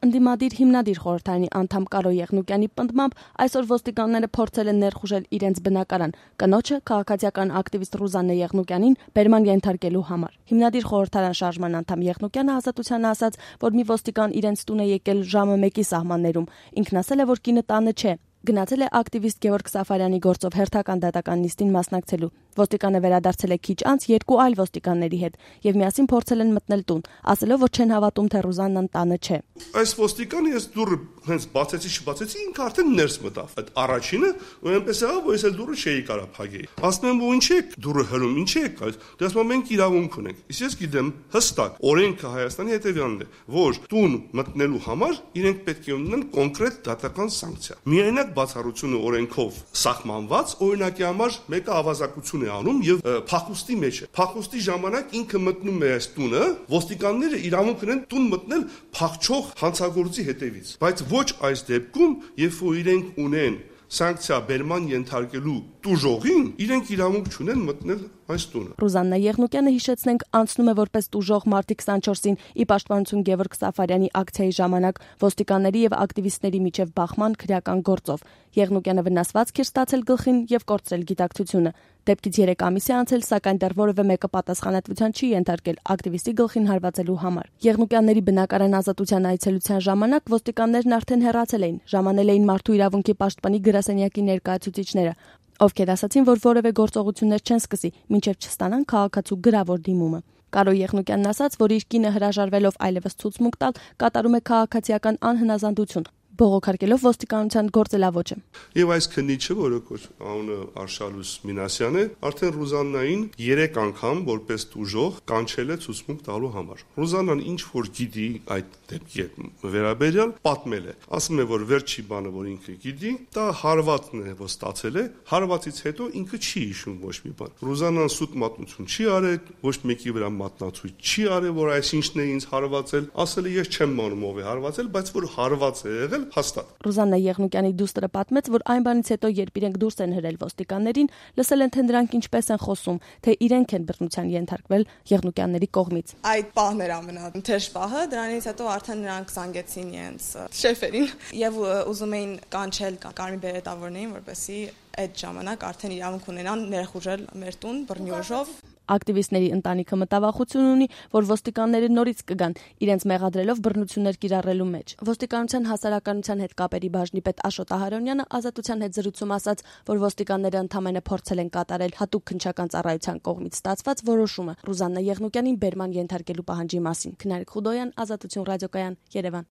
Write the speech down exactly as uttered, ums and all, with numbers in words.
Ընդդիմադիր հիմնադիր խորհրդարանի անդամ Կարո Եղնուկյանի պնդմամբ այսօր ոստիկանները փորձել են ներխուժել իրենց բնակարան կնոջը քաղաքացիական ակտիվիստ Ռուզաննա Եղնուկյանին բերման ենթարկելու համար։ Հիմնադիր խորհրդարան շարժման անդամ Եղնուկյանը Ազատությանը ասաց, որ մի ոստիկան իրենց տուն է եկել ժամը մեկի սահմաններում։ Ինքն ասել է, որ կինը տանը չէ։ Գնացել է ակտիվիստ Գևորգ Սաֆարյանի գործով հերթական դատական նիստին մասնակցելու։ Ոստիկանը վերադարձել է քիչ անց երկու այլ ոստիկանների հետ եւ միասին փորձել են մտնել տուն, ասելով, որ չեն հավատում, թե Ռուզաննան տանը չէ։ Այս ոստիկանը ես դուռը հենց բացեցի, չբացեցի, ինքը արդեն ներս մտավ։ Այդ առաջինը ու այնպես եղավ, որ ես էլ դուռը չէի կարա փակեի։ Ասում եմ, ու ինչ եք դուռը հրում, ինչ եք այս։ Դե ասում եմ, մենք իրավունք ունենք։ Իսկ ես գիտեմ հստակ օրենքը Հայաստանի հետեւյալն է, որ տուն մտնելու համար իրենք պետք է ունենան կոնկրետ դատական սանկցիա։ Միայնակ բացառությունը օրենքով սահմանված, օրինակի համար մեկը ավազակություն է անում եւ փախուստի մեջ է։ Փախուստի ժամանակ ինքը մտնում է այս տունը, ոստիկանները իրավունք ունեն տուն մտնել փախչող հանցագործի հետևից։ Բայց ոչ այս դեպքում, երբ որ իրենք ունեն սանկցիա բերման ենթարկելու տուժողին, իրենք իրավունք չունեն մտնել այս տունը։ Ռուզաննա Եղնուկյանը, հիշեցնենք, անցնում է որպես տուժող մարտի քսանչորսին ի պաշտպանություն Գևորգ Սաֆարյանի ակցիայի ժամանակ ոստիկանների եւ ակտիվիստների միջև բախման քրեական գործով։ Եղնուկյանը վնասվածք էր ստացել գլխին եւ կորցրել գիտակցությունը։ Դեպքից երեք ամիս է անցել, սակայն դեռ որևէ մեկը պատասխանատվության չի ենթարկել ակտիվիստի գլխին հարվածելու համար։ Եղնուկյանների բնակարան Ազատության այցելության ժամանակ ոստիկաններն արդեն հեռացել էին, ժամանել էին մարդու իրավունքի պաշտպանի գրասենյակի ներկայացուցիչները, ովքեր ասացին, որ որևէ գործողություններ չեն սկսի, մինչև չստանան քաղաքացու գրավոր դիմումը։ Կարո Եղնուկյանն ասաց, որ իր կինը հրաժարվելով այլևս ցուցմուկ տալ, կատարում է քաղաքացիական անհնազանդություն, բողոքարկելով ոստիկանության գործելավոճը։ Եվ այս քննիչը, որը անունը Արշալուս Մինասյան է, արդեն Ռուզաննային երեք անգամ որպես տուժող կանչել է ցուցմուկ տալու համար։ Ռուզաննան ինչ որ գիտի այդ դեպքի վերաբերյալ պատմել է։ Ասում է, որ վերջի բանը, որ ինքը գիտի, դա հարվածն է, որ ստացել է, հարվածից հետո ինքը չի հիշում ոչ մի բան։ Ռուզաննան սուտ մատնություն չի արել, ոչ մեկի վրա մատնացույց չի արել, որ այսինչն է ինձ հարվածել, ասել է ես չեմ մանում ով է հարվածել, բայց որ հարված է եղել հաստատ։ Ռուզաննա Եղնուկյանի դուստրը պատմեց, որ այն բանից հետո, երբ իրենք դուրս են հրել ոստիկաններին, լսել են, թե նրանք ինչպես են խոսում, թե իրենք են բռնության ենթարկվել Եղնուկյանների կողմից։ Այդ պահն էր ամենաթեժ պահը, դրանից հետո արդեն նրանք զանգեցին իրենց շեֆերին եւ ուզում էին կանչել կարմիր բերետավորներին, որպեսզի այդ ժամանակ արդեն իրավունք ունենան ներխուժել մեր տուն բռնի ուժով։ Ակտիվիստների ընտանիքը մտավախություն ունի, որ ոստիկանները նորից կգան, իրենց մեղադրելով բռնություններ կիրառելու մեջ։ Ոստիկանության հասարակայնության հետ կապերի բաժնի պետ Աշոտ Ահարոնյանը Ազատության հետ զրույցում ասաց, որ ոստիկանները ընդամենը փորձել են կատարել հատուկ քննչական ծառայության կողմից ստացված որոշումը Ռուզաննա Եղնուկյանին բերման ենթարկելու պահանջի մասին։ Քնարիկ Խուդոյան, Ազատություն ռադիոկայան, Երևան։